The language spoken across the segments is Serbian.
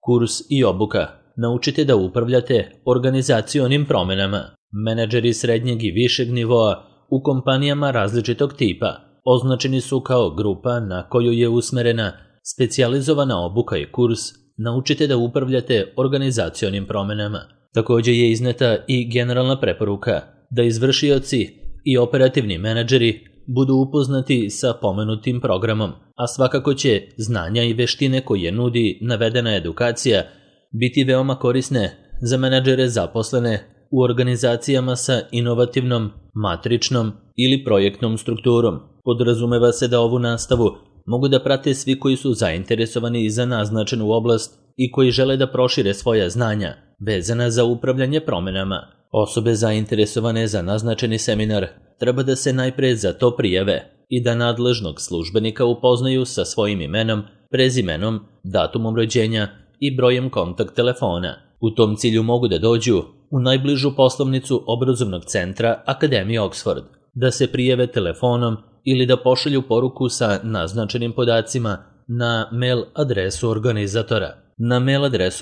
Kurs i obuka. Naučite da upravljate organizacionim promenama. Menadžeri srednjeg i višeg nivoa u kompanijama različitog tipa označeni su kao grupa na koju je usmerena specijalizovana obuka i kurs. Naučite da upravljate organizacionim promenama. Također je izneta i generalna preporuka da izvršioci i operativni menadžeri budu upoznati sa pomenutim programom, a svakako će znanja i veštine koje nudi navedena edukacija biti veoma korisne za menadžere zaposlene u organizacijama sa inovativnom, matričnom ili projektnom strukturom. Podrazumeva se da ovu nastavu mogu da prate svi koji su zainteresovani za naznačenu oblast i koji žele da prošire svoja znanja vezana za upravljanje promenama. Osobe zainteresovane za naznačeni seminar treba da se najpre za to prijave i da nadležnog službenika upoznaju sa svojim imenom, prezimenom, datumom rođenja i brojem kontakt telefona. U tom cilju mogu da dođu u najbližu poslovnicu obrazovnog centra Akademije Oxford, da se prijave telefonom ili da pošalju poruku sa naznačenim podacima na mail adresu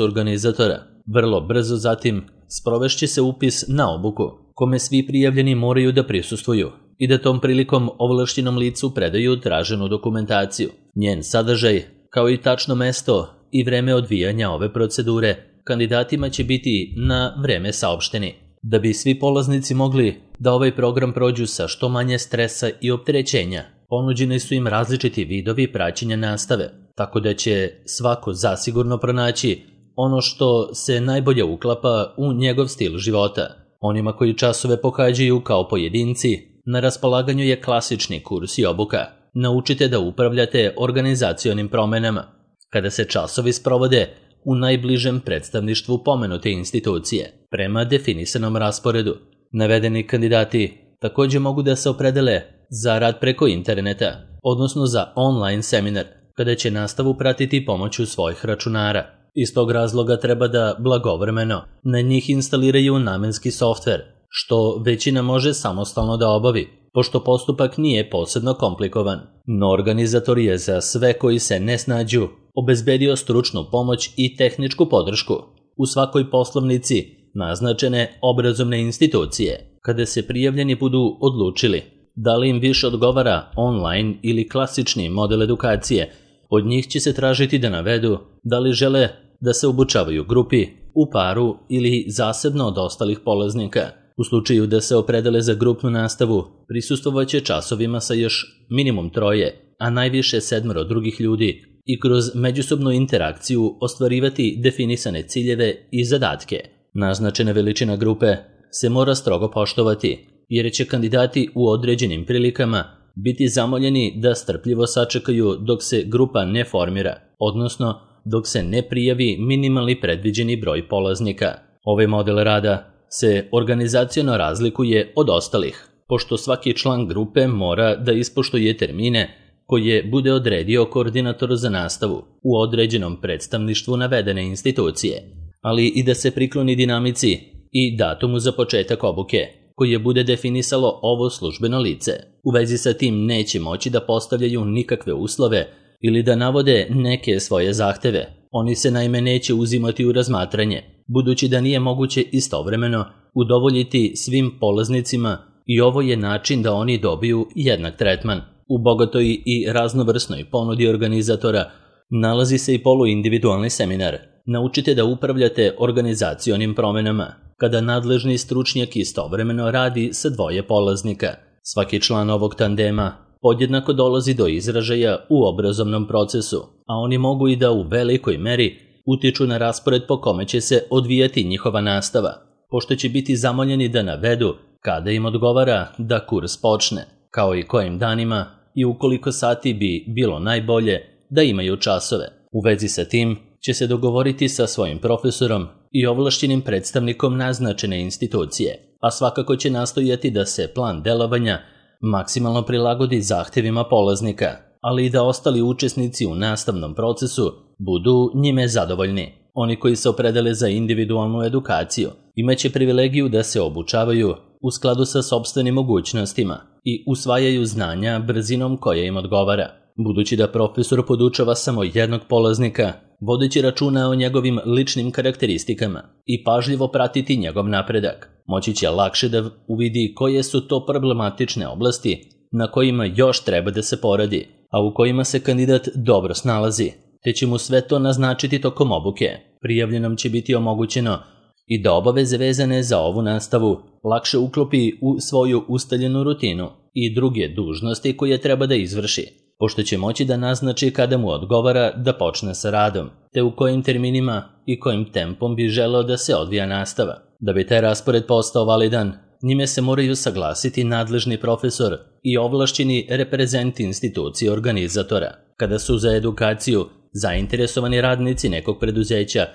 organizatora. Vrlo brzo zatim sprovešće se upis na obuku, kome svi prijavljeni moraju da prisustvuju i da tom prilikom ovlašćenom licu predaju traženu dokumentaciju. Njen sadržaj, kao i tačno mesto i vreme odvijanja ove procedure, kandidatima će biti na vreme saopšteni. Da bi svi polaznici mogli da ovaj program prođu sa što manje stresa i opterećenja, ponuđeni su im različiti vidovi praćenja nastave, tako da će svako zasigurno pronaći ono što se najbolje uklapa u njegov stil života. Onima koji časove pohađaju kao pojedinci, na raspolaganju je klasični kurs i obuka. Naučite da upravljate organizacionim promenama. Kada se časovi sprovode u najbližem predstavništvu pomenute institucije, prema definisanom rasporedu, navedeni kandidati također mogu da se opredele za rad preko interneta, odnosno za online seminar, kada će nastavu pratiti pomoću svojih računara. Iz tog razloga treba da blagovremeno na njih instaliraju namenski softver, što većina može samostalno da obavi, pošto postupak nije posebno komplikovan. No organizator je za sve koji se ne snađu obezbedio stručnu pomoć i tehničku podršku. U svakoj poslovnici naznačene obrazovne institucije, kada se prijavljeni budu odlučili da li im više odgovara online ili klasični model edukacije, od njih će se tražiti da navedu da li žele da se obučavaju u grupi, u paru ili zasebno od ostalih polaznika. U slučaju da se opredele za grupnu nastavu, prisustvovaće časovima sa još minimum 3, a najviše 7 drugih ljudi i kroz međusobnu interakciju ostvarivati definisane ciljeve i zadatke. Naznačena veličina grupe se mora strogo poštovati, jer će kandidati u određenim prilikama biti zamoljeni da strpljivo sačekaju dok se grupa ne formira, odnosno dok se ne prijavi minimalni predviđeni broj polaznika. Ovaj model rada se organizaciono razlikuje od ostalih, pošto svaki član grupe mora da ispoštuje termine koje bude odredio koordinator za nastavu u određenom predstavništvu navedene institucije, ali i da se prikloni dinamici i datumu za početak obuke, koje bude definisalo ovo službeno lice. U vezi sa tim neće moći da postavljaju nikakve uslove ili da navode neke svoje zahteve. Oni se naime neće uzimati u razmatranje, budući da nije moguće istovremeno udovoljiti svim polaznicima i ovo je način da oni dobiju jednak tretman. U bogatoj i raznovrsnoj ponudi organizatora nalazi se i poluindividualni seminar. Naučite da upravljate organizacionim promenama, kada nadležni stručnjak istovremeno radi sa 2 polaznika. Svaki član ovog tandema podjednako dolazi do izražaja u obrazovnom procesu, a oni mogu i da u velikoj meri utiču na raspored po kome će se odvijati njihova nastava, pošto će biti zamoljeni da navedu kada im odgovara da kurs počne, kao i kojim danima i u koliko sati bi bilo najbolje da imaju časove. U vezi sa tim će se dogovoriti sa svojim profesorom i ovlašćenim predstavnikom naznačene institucije, a svakako će nastojati da se plan delovanja maksimalno prilagodi zahtjevima polaznika, ali i da ostali učesnici u nastavnom procesu budu njime zadovoljni. Oni koji se opredele za individualnu edukaciju imaće privilegiju da se obučavaju u skladu sa sopstvenim mogućnostima i usvajaju znanja brzinom koja im odgovara. Budući da profesor podučava samo jednog polaznika, vodeći računa o njegovim ličnim karakteristikama i pažljivo pratiti njegov napredak. Moći će lakše da uvidi koje su to problematične oblasti na kojima još treba da se poradi, a u kojima se kandidat dobro snalazi, te će mu sve to naznačiti tokom obuke. Prijavljenom će biti omogućeno i da obaveze vezane za ovu nastavu lakše uklopi u svoju ustaljenu rutinu i druge dužnosti koje treba da izvrši, pošto će moći da naznači kada mu odgovara da počne sa radom, te u kojim terminima i kojim tempom bi želeo da se odvija nastava. Da bi taj raspored postao validan, njime se moraju saglasiti nadležni profesor i ovlašćeni reprezenti institucije organizatora. Kada su za edukaciju zainteresovani radnici nekog preduzeća,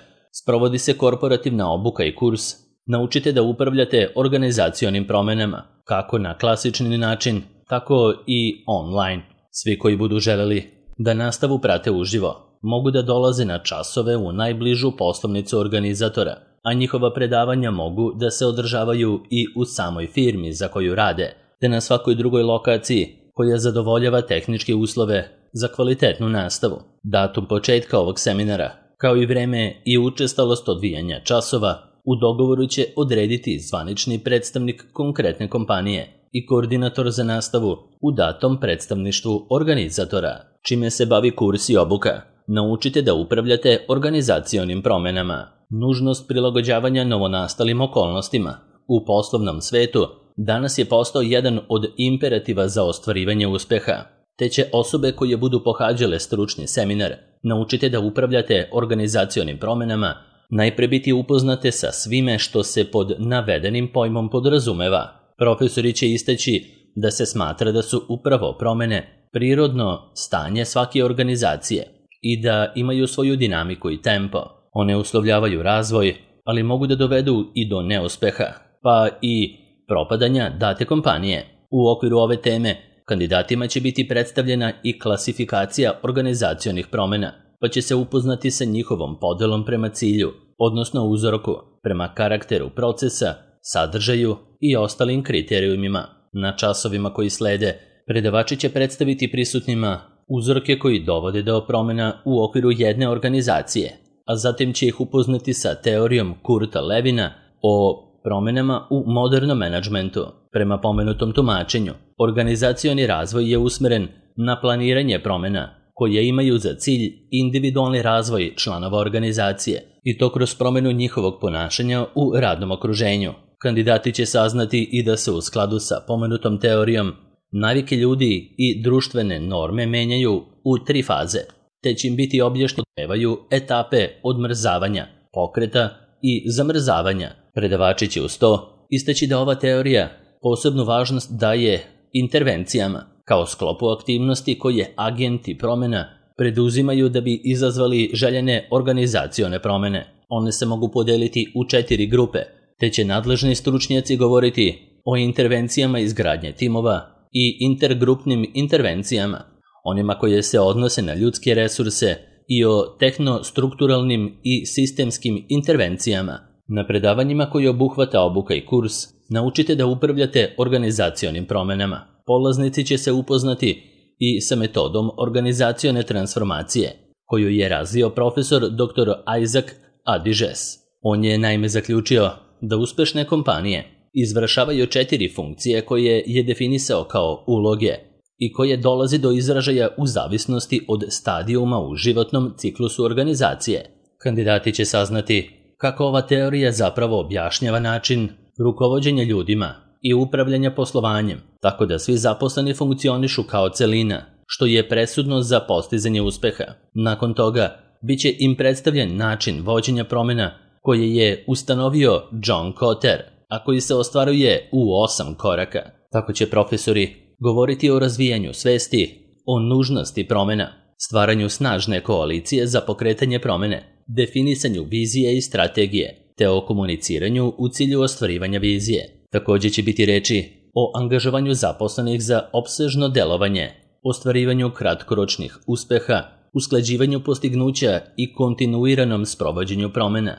sprovodi se korporativna obuka i kurs. Naučite da upravljate organizacionim promenama, kako na klasični način, tako i online. Svi koji budu želeli da nastavu prate uživo, mogu da dolaze na časove u najbližu poslovnicu organizatora, a njihova predavanja mogu da se održavaju i u samoj firmi za koju rade, te na svakoj drugoj lokaciji koja zadovoljava tehničke uslove za kvalitetnu nastavu. Datum početka ovog seminara, kao i vreme i učestalost odvijanja časova, u dogovoru će odrediti zvanični predstavnik konkretne kompanije i koordinator za nastavu u datom predstavništvu organizatora. Čime se bavi kurs i obuka? Naučite da upravljate organizacionim promenama. Nužnost prilagođavanja novonastalim okolnostima u poslovnom svetu danas je postao jedan od imperativa za ostvarivanje uspeha, te će osobe koje budu pohađale stručni seminar naučite da upravljate organizacionim promenama najpre biti upoznate sa svime što se pod navedenim pojmom podrazumeva. Profesori će istaći da se smatra da su upravo promene prirodno stanje svake organizacije i da imaju svoju dinamiku i tempo. One uslovljavaju razvoj, ali mogu da dovedu i do neuspeha, pa i propadanja date kompanije. U okviru ove teme kandidatima će biti predstavljena i klasifikacija organizacionih promena, pa će se upoznati sa njihovom podelom prema cilju, odnosno uzorku, prema karakteru procesa, sadržaju i ostalim kriterijumima. Na časovima koji slede, predavači će predstaviti prisutnima uzorke koji dovode do promena u okviru jedne organizacije, a zatim će ih upoznati sa teorijom Kurta Levina o promenama u modernom menadžmentu. Prema pomenutom tumačenju, organizacioni razvoj je usmeren na planiranje promena koje imaju za cilj individualni razvoj članova organizacije i to kroz promenu njihovog ponašanja u radnom okruženju. Kandidati će saznati i da se u skladu sa pomenutom teorijom navike ljudi i društvene norme menjaju u 3 faze, te će im biti objašnjavaju etape odmrzavanja, pokreta i zamrzavanja. Predavači će uz to istaći da ova teorija posebnu važnost daje intervencijama, kao sklopu aktivnosti koje agenti promena preduzimaju da bi izazvali željene organizacione promene. One se mogu podeliti u 4 grupe, te će nadležni stručnjaci govoriti o intervencijama izgradnje timova i intergrupnim intervencijama, onima koje se odnose na ljudske resurse i o tehnostrukturalnim i sistemskim intervencijama. Na predavanjima koji obuhvata obuka i kurs, naučite da upravljate organizacionim promenama. Polaznici će se upoznati i sa metodom organizacione transformacije, koju je razvio profesor dr. Isaac Adiges. On je naime zaključio da uspešne kompanije izvršavaju 4 funkcije koje je definisao kao uloge i koje dolazi do izražaja u zavisnosti od stadijuma u životnom ciklusu organizacije. Kandidati će saznati kako ova teorija zapravo objašnjava način rukovođenja ljudima i upravljanja poslovanjem, tako da svi zaposleni funkcionišu kao celina, što je presudno za postizanje uspeha. Nakon toga, bit će im predstavljen način vođenja promena koje je ustanovio John Kotter, a koji se ostvaruje u 8 koraka. Tako će profesori govoriti o razvijanju svesti, o nužnosti promena, stvaranju snažne koalicije za pokretanje promene, definisanju vizije i strategije, te o komuniciranju u cilju ostvarivanja vizije. Također će biti reči o angažovanju zaposlenih za opsežno delovanje, ostvarivanju kratkoročnih uspeha, usklađivanju postignuća i kontinuiranom sprovođenju promena,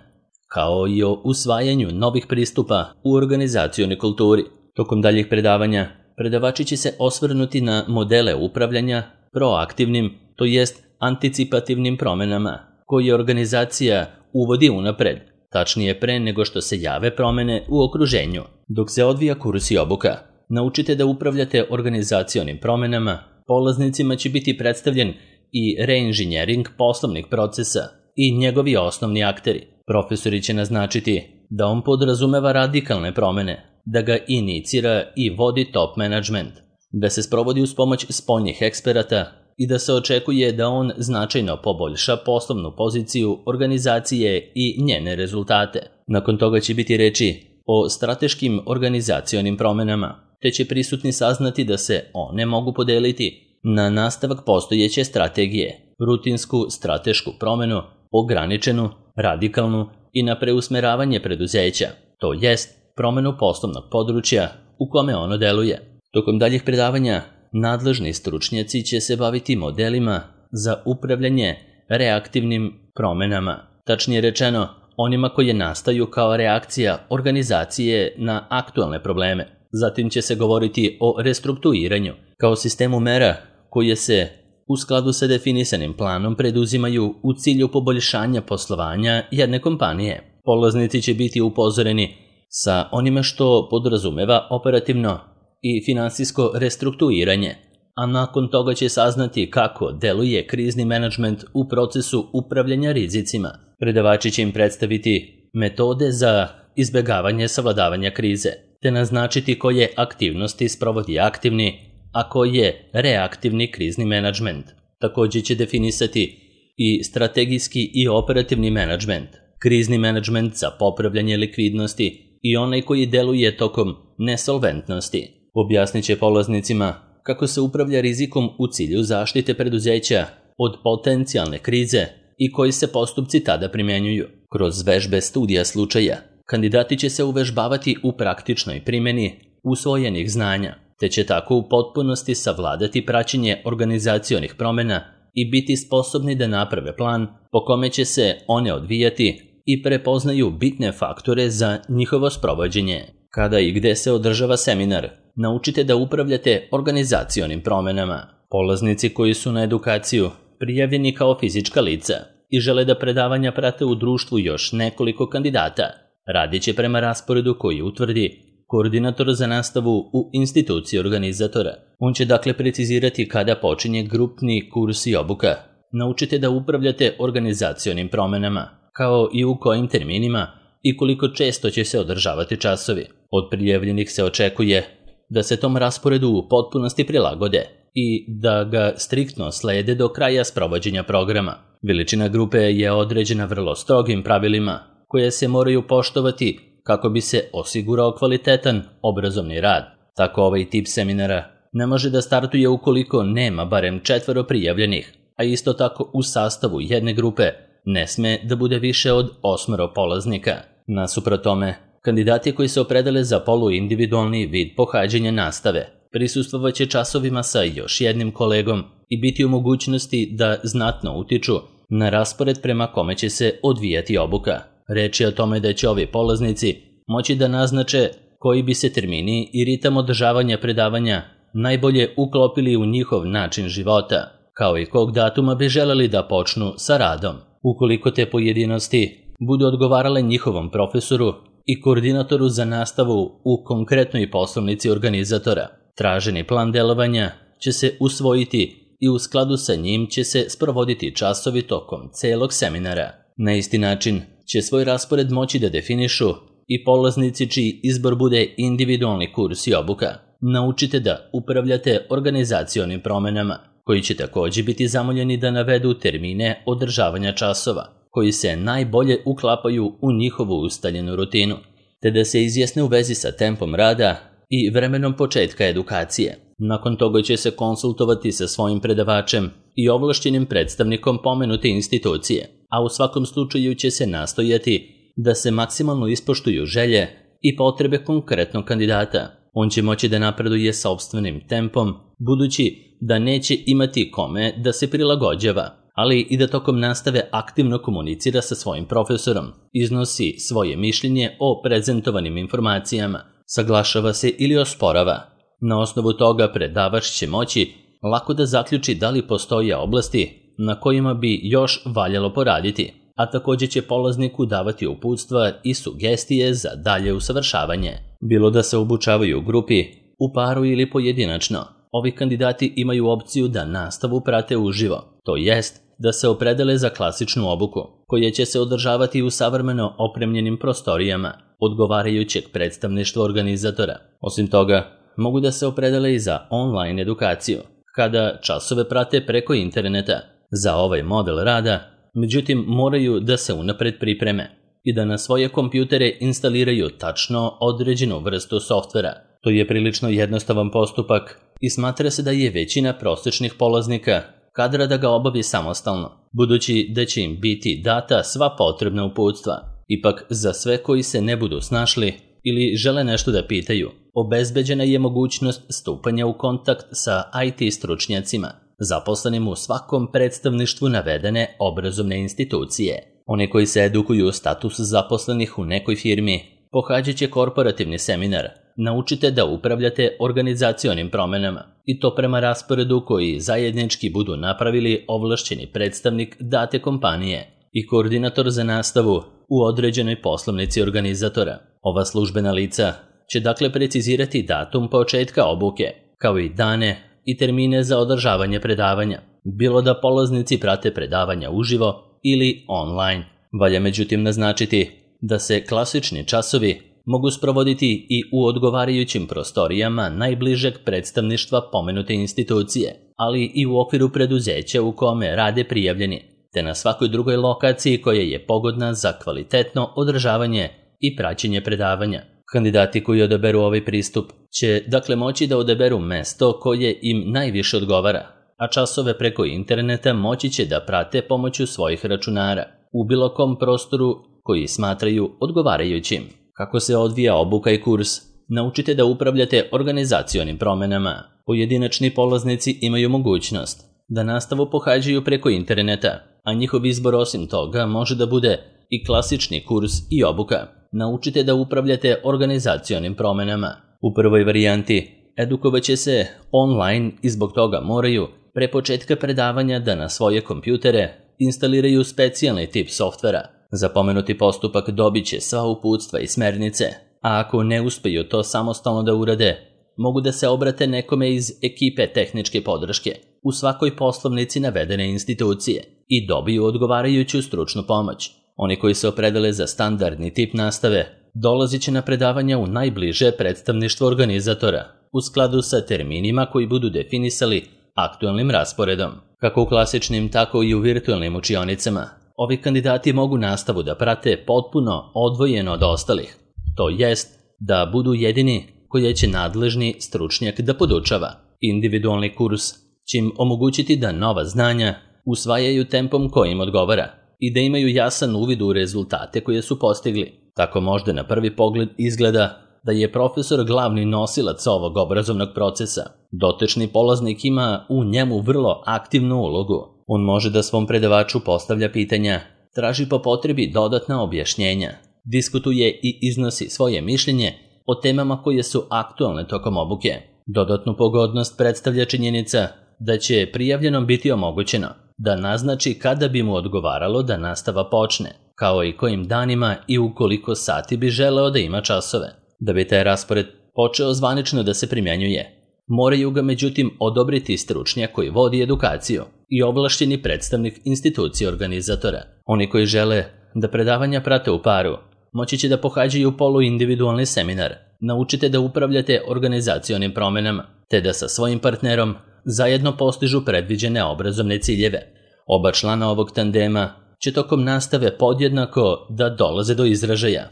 kao i o usvajanju novih pristupa u organizacionoj kulturi. Tokom daljih predavanja, predavači će se osvrnuti na modele upravljanja proaktivnim, to jest anticipativnim promenama, koje organizacija uvodi unapred, tačnije pre nego što se jave promene u okruženju. Dok se odvija kurs i obuka, naučite da upravljate organizacionim promenama, polaznicima će biti predstavljen i reinženjering poslovnih procesa i njegovi osnovni akteri. Profesori će naznačiti da on podrazumeva radikalne promene, da ga inicira i vodi top management, da se sprovodi uz pomoć spoljnih eksperata i da se očekuje da on značajno poboljša poslovnu poziciju organizacije i njene rezultate. Nakon toga će biti reči o strateškim organizacionim promenama, te će prisutni saznati da se one mogu podeliti na nastavak postojeće strategije, rutinsku stratešku promenu, ograničenu, radikalnu i na preusmeravanje preduzeća, to jest promenu poslovnog područja u kome ono deluje. Tokom daljih predavanja, nadležni stručnjaci će se baviti modelima za upravljanje reaktivnim promenama, tačnije rečeno onima koje nastaju kao reakcija organizacije na aktualne probleme. Zatim će se govoriti o restrukturiranju kao sistemu mera koje se u skladu sa definisanim planom preduzimaju u cilju poboljšanja poslovanja jedne kompanije. Polaznici će biti upozoreni sa onime što podrazumeva operativno i finansijsko restrukturiranje, a nakon toga će saznati kako deluje krizni menadžment u procesu upravljanja rizicima. Predavači će im predstaviti metode za izbjegavanje savladavanja krize, te naznačiti koje aktivnosti sprovodi aktivni, a koje reaktivni krizni menadžment. Također će definisati i strategijski i operativni menadžment, krizni menadžment za popravljanje likvidnosti i onaj koji deluje tokom nesolventnosti. Objasnit će polaznicima kako se upravlja rizikom u cilju zaštite preduzeća od potencijalne krize i koji se postupci tada primjenjuju. Kroz vežbe studija slučaja, kandidati će se uvežbavati u praktičnoj primjeni usvojenih znanja, te će tako u potpunosti savladati praćenje organizacionih promjena i biti sposobni da naprave plan po kome će se one odvijati i prepoznaju bitne faktore za njihovo sprovođenje. Kada i gde se održava seminar, naučite da upravljate organizacionim promjenama. Polaznici koji su na edukaciju prijavljeni kao fizička lica i žele da predavanja prate u društvu još nekoliko kandidata, radit će prema rasporedu koji utvrdi koordinator za nastavu u instituciji organizatora. On će dakle precizirati kada počinje grupni kurs i obuka. Naučite da upravljate organizacionim promjenama, kao i u kojim terminima i koliko često će se održavati časovi. Od prijavljenih se očekuje da se tom rasporedu u potpunosti prilagode i da ga striktno slede do kraja sprovođenja programa. Veličina grupe je određena vrlo strogim pravilima koje se moraju poštovati kako bi se osigurao kvalitetan obrazovni rad. Tako ovaj tip seminara ne može da startuje ukoliko nema barem 4 prijavljenih, a isto tako u sastavu jedne grupe ne sme da bude više od 8 polaznika. Nasuprot tome, kandidati koji se opredele za poluindividualni vid pohađanja nastave prisustvovat će časovima sa još jednim kolegom i biti u mogućnosti da znatno utiču na raspored prema kome će se odvijati obuka. Reč je o tome da će ovi polaznici moći da naznače koji bi se termini i ritam održavanja predavanja najbolje uklopili u njihov način života, kao i kog datuma bi želeli da počnu sa radom. Ukoliko te pojedinosti budu odgovarale njihovom profesoru i koordinatoru za nastavu u konkretnoj poslovnici organizatora, traženi plan delovanja će se usvojiti i u skladu sa njim će se sprovoditi časovi tokom celog seminara. Na isti način će svoj raspored moći da definišu i polaznici čiji izbor bude individualni kurs i obuka. Naučite da upravljate organizacionim promjenama, koji će također biti zamoljeni da navedu termine održavanja časova, koji se najbolje uklapaju u njihovu ustaljenu rutinu, te da se izjasne u vezi sa tempom rada i vremenom početka edukacije. Nakon toga će se konsultovati sa svojim predavačem i ovlašćenim predstavnikom pomenute institucije, a u svakom slučaju će se nastojati da se maksimalno ispoštuju želje i potrebe konkretnog kandidata. On će moći da napreduje sopstvenim tempom, budući da neće imati kome da se prilagođava, ali i da tokom nastave aktivno komunicira sa svojim profesorom, iznosi svoje mišljenje o prezentovanim informacijama, saglašava se ili osporava. Na osnovu toga predavač će moći lako da zaključi da li postoje oblasti na kojima bi još valjalo poraditi, a također će polazniku davati uputstva i sugestije za dalje usavršavanje. Bilo da se obučavaju u grupi, u paru ili pojedinačno, ovi kandidati imaju opciju da nastavu prate uživo, to jest da se opredele za klasičnu obuku, koja će se održavati u savremeno opremljenim prostorijama odgovarajućeg predstavništva organizatora. Osim toga, mogu da se opredele i za online edukaciju, kada časove prate preko interneta. Za ovaj model rada, međutim, moraju da se unapred pripreme i da na svoje kompjutere instaliraju tačno određenu vrstu softvera. To je prilično jednostavan postupak i smatra se da je većina prosječnih polaznika kadra da ga obavi samostalno, budući da će im biti data sva potrebna uputstva. Ipak, za sve koji se ne budu snašli ili žele nešto da pitaju, obezbeđena je mogućnost stupanja u kontakt sa IT stručnjacima, zaposlenim u svakom predstavništvu navedene obrazovne institucije. Oni koji se edukuju u status zaposlenih u nekoj firmi, pohađat će korporativni seminar, naučite da upravljate organizacionim promenama, i to prema rasporedu koji zajednički budu napravili ovlašćeni predstavnik date kompanije i koordinator za nastavu u određenoj poslovnici organizatora. Ova službena lica će dakle precizirati datum početka obuke, kao i dane i termine za održavanje predavanja, bilo da polaznici prate predavanja uživo ili online. Valja međutim naznačiti da se klasični časovi mogu sprovoditi i u odgovarajućim prostorijama najbližeg predstavništva pomenute institucije, ali i u okviru preduzeća u kome rade prijavljeni, te na svakoj drugoj lokaciji koja je pogodna za kvalitetno održavanje i praćenje predavanja. Kandidati koji odaberu ovaj pristup će dakle moći da odaberu mesto koje im najviše odgovara, a časove preko interneta moći će da prate pomoću svojih računara u bilo kom prostoru koji smatraju odgovarajućim. Kako se odvija obuka i kurs, naučite da upravljate organizacionim promenama. Pojedinačni polaznici imaju mogućnost da nastavu pohađaju preko interneta, a njihov izbor osim toga može da bude i klasični kurs i obuka. Naučite da upravljate organizacionim promenama. U prvoj varijanti edukovat će se online i zbog toga moraju pre početka predavanja da na svoje kompjutere instaliraju specijalni tip softvera. Za pomenuti postupak dobit će sva uputstva i smernice, a ako ne uspeju to samostalno da urade, mogu da se obrate nekome iz ekipe tehničke podrške u svakoj poslovnici navedene institucije i dobiju odgovarajuću stručnu pomoć. Oni koji se opredele za standardni tip nastave dolazit će na predavanja u najbliže predstavništvo organizatora u skladu sa terminima koji budu definisali aktualnim rasporedom. Kako u klasičnim, tako i u virtualnim učionicama, ovi kandidati mogu nastavu da prate potpuno odvojeno od ostalih, to jest da budu jedini koji će nadležni stručnjak da podučava. Individualni kurs će im omogućiti da nova znanja usvajaju tempom koji im odgovara i da imaju jasan uvid u rezultate koje su postigli. Tako možda na prvi pogled izgleda da je profesor glavni nosilac ovog obrazovnog procesa. Dotični polaznik ima u njemu vrlo aktivnu ulogu. On može da svom predavaču postavlja pitanja, traži po potrebi dodatna objašnjenja, diskutuje i iznosi svoje mišljenje o temama koje su aktualne tokom obuke. Dodatnu pogodnost predstavlja činjenica da će prijavljenom biti omogućeno da naznači kada bi mu odgovaralo da nastava počne, kao i kojim danima i u koliko sati bi želeo da ima časove. Da bi taj raspored počeo zvanično da se primjenjuje, moraju ga međutim odobriti stručnjak koji vodi edukaciju i ovlašćeni predstavnik institucije organizatora. Oni koji žele da predavanja prate u paru, moći će da pohađaju poluindividualni seminar, naučite da upravljate organizacionim promenama, te da sa svojim partnerom zajedno postižu predviđene obrazovne ciljeve. Oba člana ovog tandema će tokom nastave podjednako da dolaze do izražaja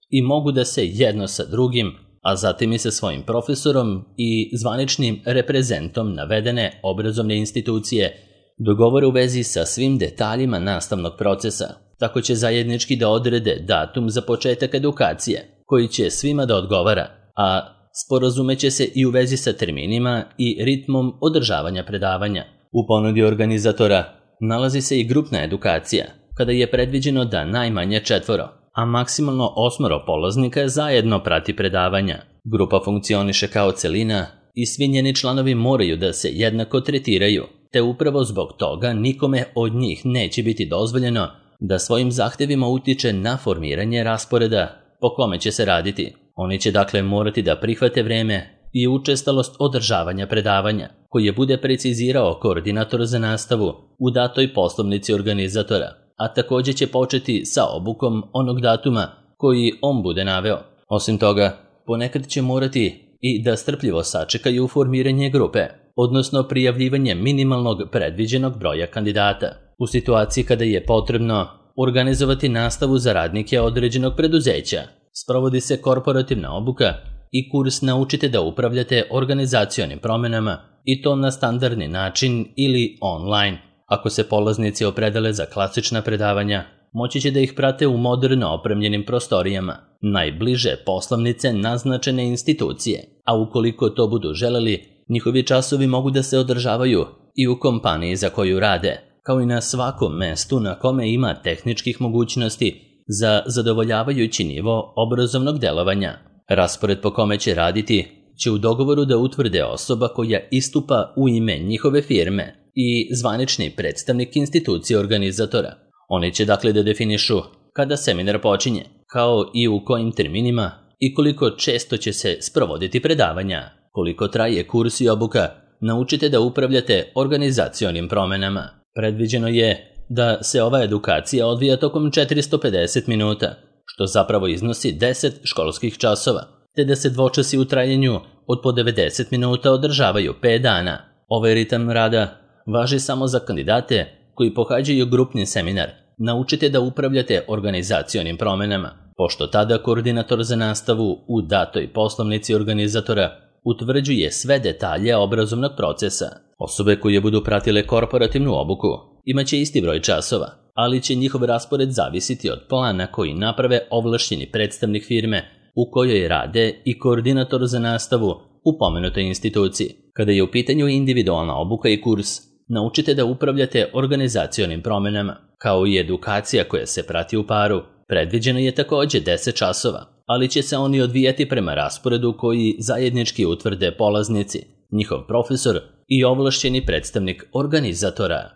i mogu da se jedno sa drugim, a zatim i sa svojim profesorom i zvaničnim reprezentom navedene obrazovne institucije dogovore u vezi sa svim detaljima nastavnog procesa. Tako će zajednički da odrede datum za početak edukacije, koji će svima da odgovara, a sporazumeće se i u vezi sa terminima i ritmom održavanja predavanja. U ponudi organizatora nalazi se i grupna edukacija, kada je predviđeno da najmanje 4, a maksimalno 8 polaznika zajedno prati predavanja. Grupa funkcioniše kao celina i svi njeni članovi moraju da se jednako tretiraju, te upravo zbog toga nikome od njih neće biti dozvoljeno da svojim zahtjevima utiče na formiranje rasporeda po kome će se raditi. Oni će dakle morati da prihvate vreme i učestalost održavanja predavanja, koje bude precizirao koordinator za nastavu u datoj poslovnici organizatora, a također će početi sa obukom onog datuma koji on bude naveo. Osim toga, ponekad će morati i da strpljivo sačekaju formiranje grupe, odnosno prijavljivanje minimalnog predviđenog broja kandidata. U situaciji kada je potrebno organizovati nastavu za radnike određenog preduzeća, sprovodi se korporativna obuka i kurs Naučite da upravljate organizacionim promenama, i to na standardni način ili online. Ako se polaznici opredele za klasična predavanja, moći će da ih prate u moderno opremljenim prostorijama, najbliže poslovnice naznačene institucije, a ukoliko to budu želeli, njihovi časovi mogu da se održavaju i u kompaniji za koju rade, kao i na svakom mestu na kome ima tehničkih mogućnosti za zadovoljavajući nivo obrazovnog delovanja. Raspored po kome će raditi će u dogovoru da utvrde osoba koja istupa u ime njihove firme i zvanični predstavnik institucije organizatora. Oni će dakle da definišu kada seminar počinje, kao i u kojim terminima i koliko često će se sprovoditi predavanja, koliko traje kurs i obuka Naučite da upravljate organizacionim promenama. Predviđeno je da se ova edukacija odvija tokom 450 minuta, što zapravo iznosi 10 školskih časova, te da se dvočasi u trajanju od po 90 minuta održavaju 5 dana. Ovaj ritam rada važi samo za kandidate koji pohađaju grupni seminar Naučite da upravljate organizacionim promenama, pošto tada koordinator za nastavu u datoj poslovnici organizatora utvrđuje sve detalje obrazovnog procesa. Osobe koje budu pratile korporativnu obuku imaće isti broj časova, ali će njihov raspored zavisiti od plana koji naprave ovlašćeni predstavnik firme u kojoj rade i koordinator za nastavu u pomenutoj instituciji. Kada je u pitanju individualna obuka i kurs Naučite da upravljate organizacionim promenama, kao i edukacija koja se prati u paru, predviđeno je također 10 časova, ali će se oni odvijati prema rasporedu koji zajednički utvrde polaznici, njihov profesor i ovlašćeni predstavnik organizatora.